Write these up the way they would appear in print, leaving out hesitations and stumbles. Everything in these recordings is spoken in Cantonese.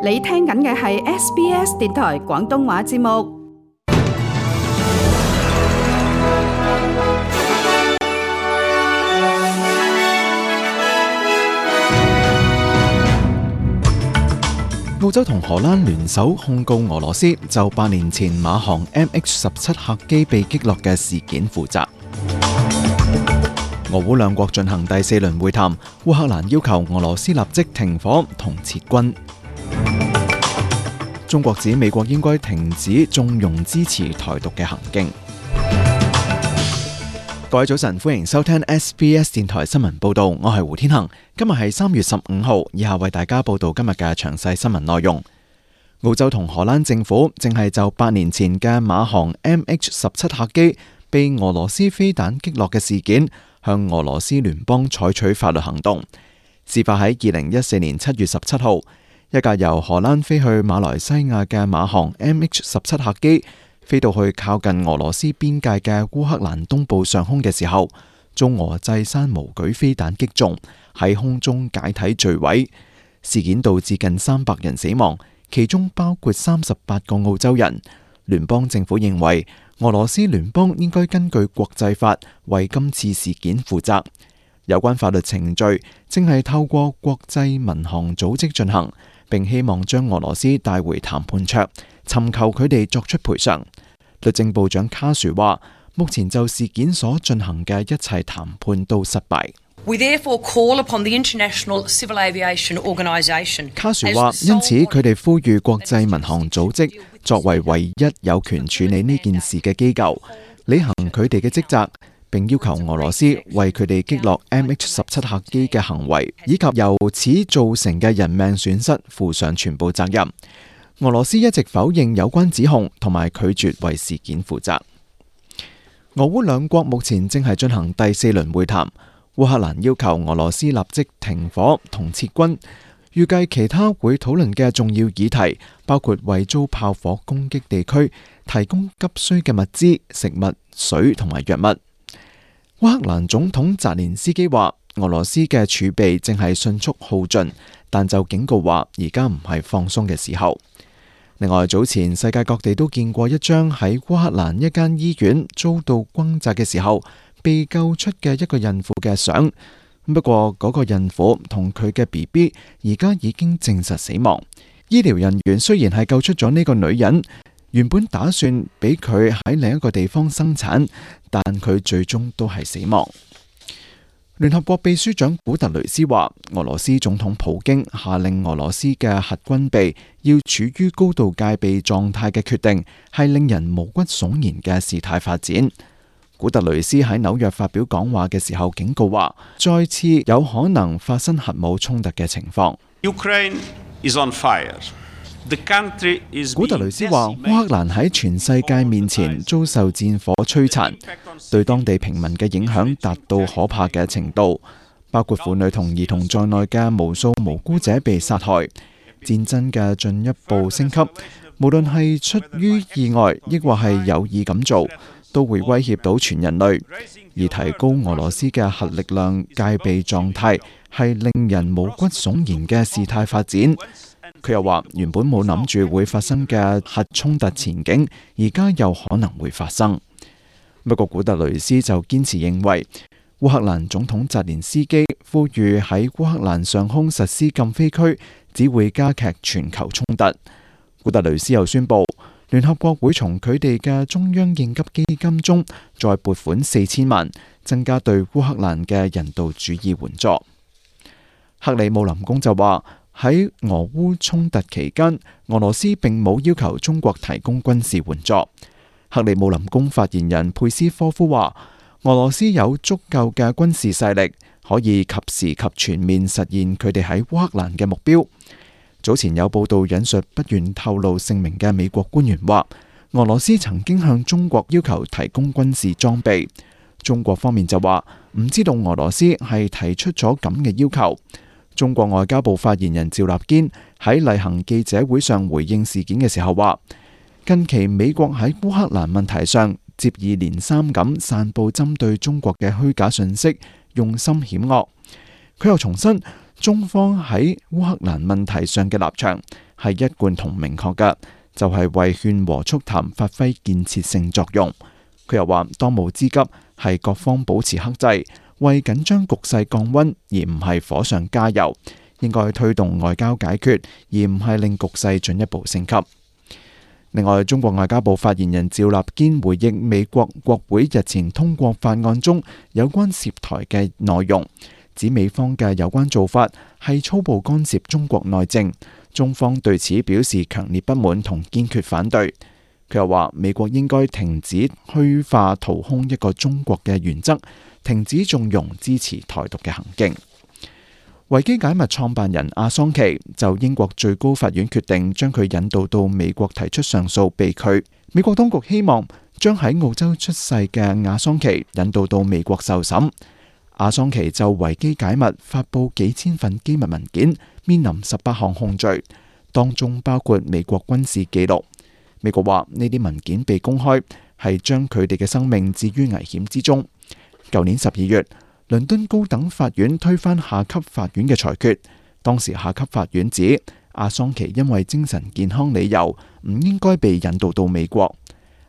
你聽緊嘅係 SBS 電台廣東話節目。澳洲同荷蘭聯手控告俄羅斯就8年前馬航 MH17 客機被擊落嘅事件負責。俄烏兩國進行第4輪會談，烏克蘭要求俄羅斯立即停火同撤軍。中國指美國應該停止縱容支持台獨嘅行徑。各位早晨，歡迎收聽 SBS 電台新聞報道，我係胡天恒。今日係3月15號，以下為大家報道今日嘅詳細新聞內容。澳洲同荷蘭政府正係就8年前嘅馬航 MH17 客機被俄羅斯飛彈擊落嘅事件，向俄羅斯聯邦採取法律行動。事發喺2014年7月17號，一架由荷蘭飛去馬來西亞嘅馬航 MH17 客機飛到去靠近俄羅斯邊界嘅烏克蘭東部上空嘅時候，遭俄製山毛舉飛彈擊中，喺空中解體墜毀。事件導致近300人死亡，其中包括38個澳洲人。聯邦政府認為俄羅斯聯邦應該根據國際法為今次事件負責。有關法律程序正係透過國際民航組織進行，並希望將俄羅斯帶回談判桌，尋求佢哋作出賠償。律政部長卡殊話，目前就事件所進行嘅一切談判都失敗。We therefore call upon the International Civil Aviation Organisation。卡殊話，因此佢哋呼籲國際民航組織作為唯一有權處理呢件事嘅機構，履行佢哋嘅職責，並要求俄羅斯為佢哋擊落 MH17 客機嘅行為以及由此造成嘅人命損失負上全部責任。俄羅斯一直否認有關指控，同埋拒絕為事件負責。俄烏兩國目前正係進行第4輪會談，烏克蘭要求俄羅斯立即停火同撤軍。預計其他會討論嘅重要議題包括為遭炮火攻擊地區提供急需嘅物資、食物、水同埋藥物。烏克蘭總統澤連斯基話，俄羅斯嘅儲備正係迅速耗盡，但就警告話而家唔係放鬆嘅時候。另外，早前世界各地都見過一張喺烏克蘭一間醫院遭到轟炸嘅時候被救出嘅一個孕婦嘅相。不過嗰個孕婦同佢嘅 BB 而家已經證實死亡。醫療人員雖然係救出咗呢個女人，原本打算俾佢喺另一個地方生產，但佢最終都係死亡。聯合國秘書長古特雷斯話，俄羅斯總統普京下令俄羅斯嘅核軍備要處於高度戒備狀態嘅決定，係令人毛骨悚然嘅事態發展。古特雷斯喺紐約發表講話嘅時候警告話，再次有可能發生核武衝突嘅情況。Ukraine is on fire. The country is 古特雷斯話，烏克蘭喺全世界面前遭受戰火摧殘，對當地平民嘅影響達到可怕嘅程度，包括婦女同兒童在內嘅無數無辜者被殺害。戰爭嘅進一步升級，無論係出於意外，抑或係有意咁做，都會威脅到全人類。而提高俄羅斯嘅核力量戒備狀態，係令人毛骨悚然嘅事態發展。佢又話，原本冇諗住會發生嘅核衝突前景，而家又可能會發生。不過古特雷斯就堅持認為，烏克蘭總統澤連斯基呼籲喺烏克蘭上空實施禁飛區，只會加劇全球衝突。古特雷斯又宣布，聯合國會從佢哋嘅中央應急基金中再撥款4000萬，增加對烏克蘭嘅人道主義援助。克里姆林宮就話，喺俄烏衝突期間，俄羅斯並冇要求中國提供軍事援助。克里姆林宮發言人佩斯科夫話，俄羅斯有足夠嘅軍事勢力，可以及時及全面實現佢哋喺烏克蘭嘅目標。早前有報道引述不願透露姓名嘅美國官員話，俄羅斯曾經向中國要求提供軍事裝備。中國方面就話唔知道俄羅斯係提出咗咁嘅要求。中國外交部發言人趙立堅喺例行記者會上回應事件嘅時候話，近期美國喺烏克蘭問題上接二連三咁散佈針對中國嘅虛假信息，用心險惡。佢又重申，中方喺烏克蘭問題上嘅立場係一貫同明確嘅，就係為勸和促談發揮建設性作用。佢又話，當務之急係各方保持克制，為緊張局勢降溫，而唔係火上加油。應該推動外交解決，而唔係令局勢進一步升級。另外，中國外交部發言人趙立堅回應美國國會日前通過法案中有關涉台嘅內容，指美方嘅有關做法係粗暴干涉中國內政，中方對此表示強烈不滿同堅決反對。佢又話，美國應該停止虛化掏空一個中國嘅原則，停止縱容支持台獨嘅行徑。維基解密創辦人阿桑奇就英國最高法院決定將佢引渡到美國提出上訴被拒。美國當局希望將喺澳洲出世嘅阿桑奇引渡到美國受審。阿桑奇就維基解密發布幾千份機密文件，面臨18項控罪，當中包括美國軍事記錄。美國話呢啲文件被公開係將佢哋嘅生命置於危險之中。舊年12月，倫敦高等法院推翻下級法院嘅裁決，當時下級法院指阿桑奇因為精神健康理由唔應該被引渡到美國。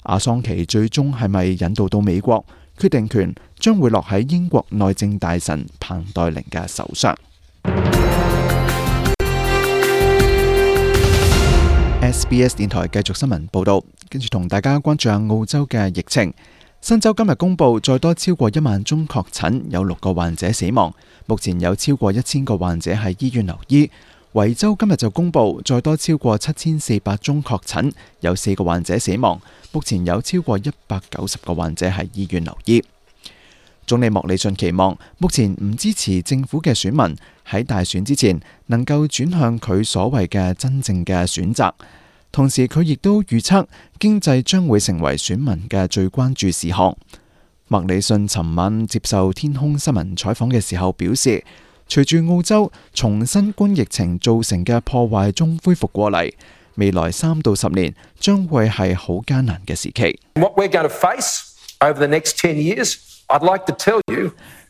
阿桑奇最終係咪引渡到美國，決定權將會落喺英國內政大臣彭黛玲嘅手上。SBS 電台繼續新聞報道，跟住同大家關注下澳洲嘅疫情。新州今日公布再多超過1萬宗確診，有6個患者死亡。目前有超過1000個患者喺醫院留醫。維州今日就公布再多超過7400宗確診，有4個患者死亡。目前有超過190個患者喺醫院留醫。總理莫里遜期望目前唔支持政府嘅選民喺大選之前能夠轉向佢所謂嘅真正嘅選擇。同時，佢亦都預測經濟將會成為選民嘅最關注事項。莫里遜尋晚接受天空新聞採訪嘅時候表示，隨住澳洲從新冠疫情造成嘅破壞中恢復過嚟，未來3到10年將會係好艱難嘅時期。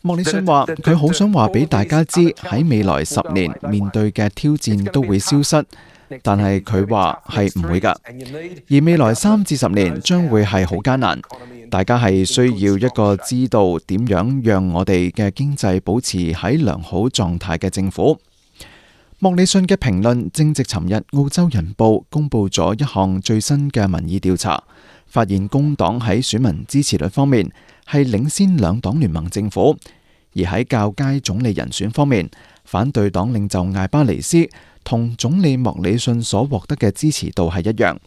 莫里遜話：佢好想話俾大家知，喺未來10年面對嘅挑戰都會消失。但係佢話係唔會㗎，而未來3至10年將會係好艱難。大家係需要一個知道點樣讓我哋嘅經濟保持喺良好狀態嘅政府。莫里遜嘅評論正值尋日澳洲人報公布咗一項最新嘅民意調查，發現工黨喺選民支持率方面係領先兩黨聯盟政府，而喺較佳總理人選方面，反對黨領袖艾巴尼斯同總理莫里遜所獲得嘅支持度係一樣。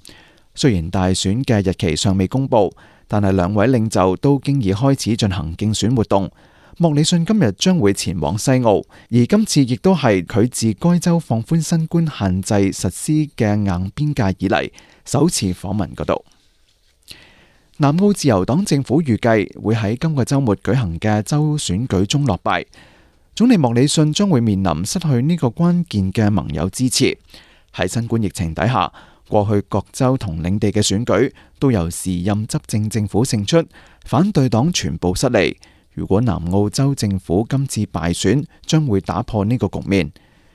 雖然大選嘅日期尚未公布，但係兩位領袖都經已開始進行競選活動。莫里遜今日將會前往西澳，而今次亦都係佢自該州放寬新冠限制實施嘅硬邊界以嚟首次訪問嗰度。南澳自由黨政府預計會喺今個週末舉行嘅州選舉中落敗。總理莫里遜將會面臨失去呢個關鍵嘅盟友支持。喺新冠疫情底下，過去各州同領地嘅選舉都由時任執政政府勝出，反對黨全部失利。如果南澳州政府今次敗選，將會打破呢個局面。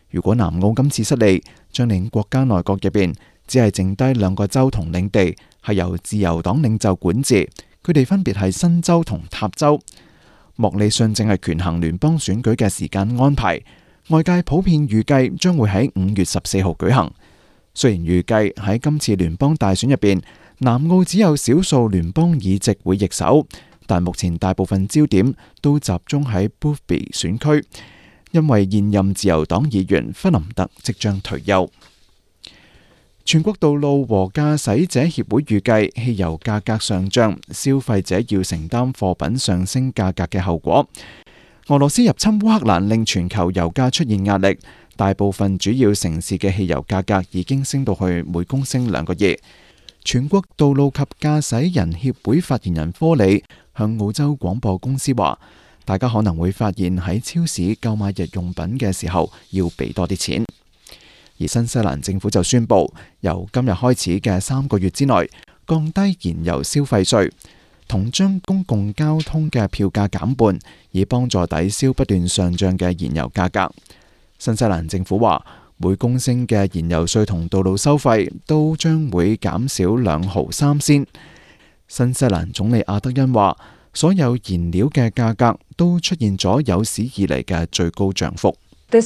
如果南澳今次失利，將令國家內閣入邊只係剩低2個州同領地係由自由黨領袖管治，佢哋分別係新州同塔州。莫里遜正係權衡聯邦選舉嘅時間安排，外界普遍預計將會喺5月14號舉行。雖然預計喺今次聯邦大選入邊，南澳只有少數聯邦議席會易手，但目前大部分焦點都集中喺 Boothby 選區，因為現任自由黨議員弗林特即將退休。全國道路和駕駛者協會預計汽油價格上漲，消費者要承擔貨品上升價格嘅後果。俄羅斯入侵烏克蘭令全球油價出現壓力，大部分主要城市嘅汽油價格已經升到去每公升2個2。全國道路及駕駛人協會發言人科里向澳洲廣播公司話，大家可能會發現喺超市購買日用品嘅時候要俾多啲錢。而新西蘭政府就宣布，由今日開始嘅3個月之內降低燃油消費稅，同將公共交通嘅票價減半，以幫助抵消不斷上漲嘅燃油價格。新西蘭政府話，每公升嘅燃油稅同道路收費都將會減少2毫3仙。新西蘭總理阿德恩話，所有燃料嘅價格都出現咗有史以嚟嘅最高漲幅。阿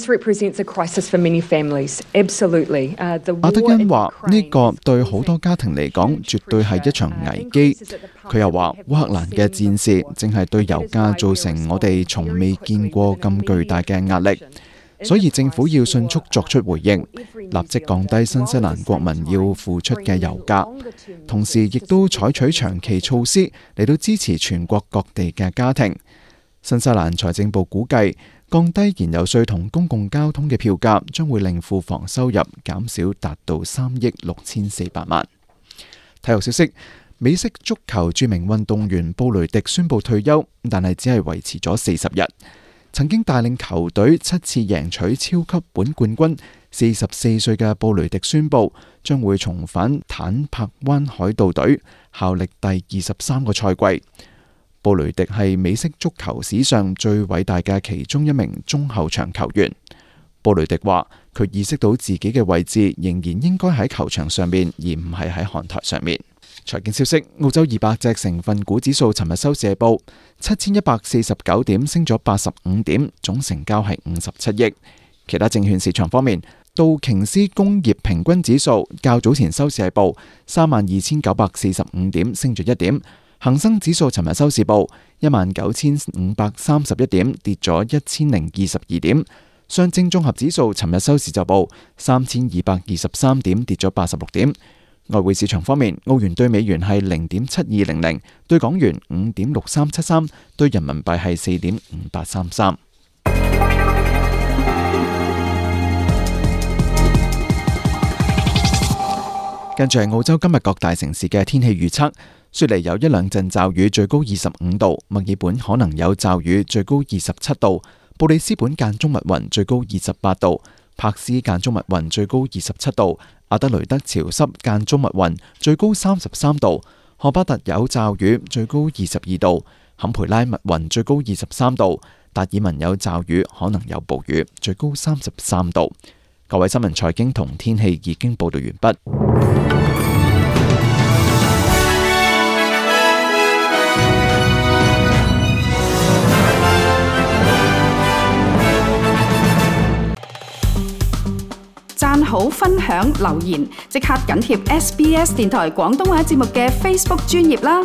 德恩話，呢個對好多家庭嚟講絕對係一場危機。佢又話，烏克蘭嘅戰事正係對油價造成我哋從未見過咁巨大嘅壓力，所以政府要迅速作出回應，立即降低新西蘭國民要付出嘅油價，同時亦都採取長期措施嚟到支持全國各地嘅家庭。新西蘭財政部估計，降低燃油稅同公共交通嘅票價將會令庫房收入減少達到3億6400萬。體育消息，美式足球著名運動員布雷迪宣布退休，但係只係維持咗40日。曾經帶領球隊7次贏取超級碗冠軍，44歲嘅布雷迪宣布將會重返坦帕灣海盜隊，效力第23個賽季。布雷迪係美式足球史上最偉大嘅其中一名中後場球員。布雷迪話，佢意識到自己嘅位置仍然應該喺球場上面，而唔係喺看台上面。財經消息，澳洲200隻成分股指數尋日收市報7149點，升咗85點，總成交係57億。其他證券市場方面，道瓊斯工業平均指數較早前收市係報32945點，升咗1點。恒生指數尋日收市報19531點，跌咗1022點。上證綜合指數尋日收市就報3223點，跌咗86點。外匯市場方面，澳元對美元係0.7200，對港元5.6373，對人民幣係4.5833。跟住係澳洲今日各大城市嘅天氣預測。雪梨有一兩陣驟雨，最高25度；墨爾本可能有驟雨，最高27度；布里斯本間中密雲，最高28度；柏斯間中密雲，最高27度；阿德雷德潮濕間中密雲，最高33度；荷巴特有驟雨，最高22度；坎培拉密雲，最高23度；達爾文有驟雨，可能有暴雨，最高33度。各位新聞、財經同天氣已經報道完畢。讚好、分享、留言，即刻緊貼SBS 電台廣東話節目嘅 Facebook 專頁啦！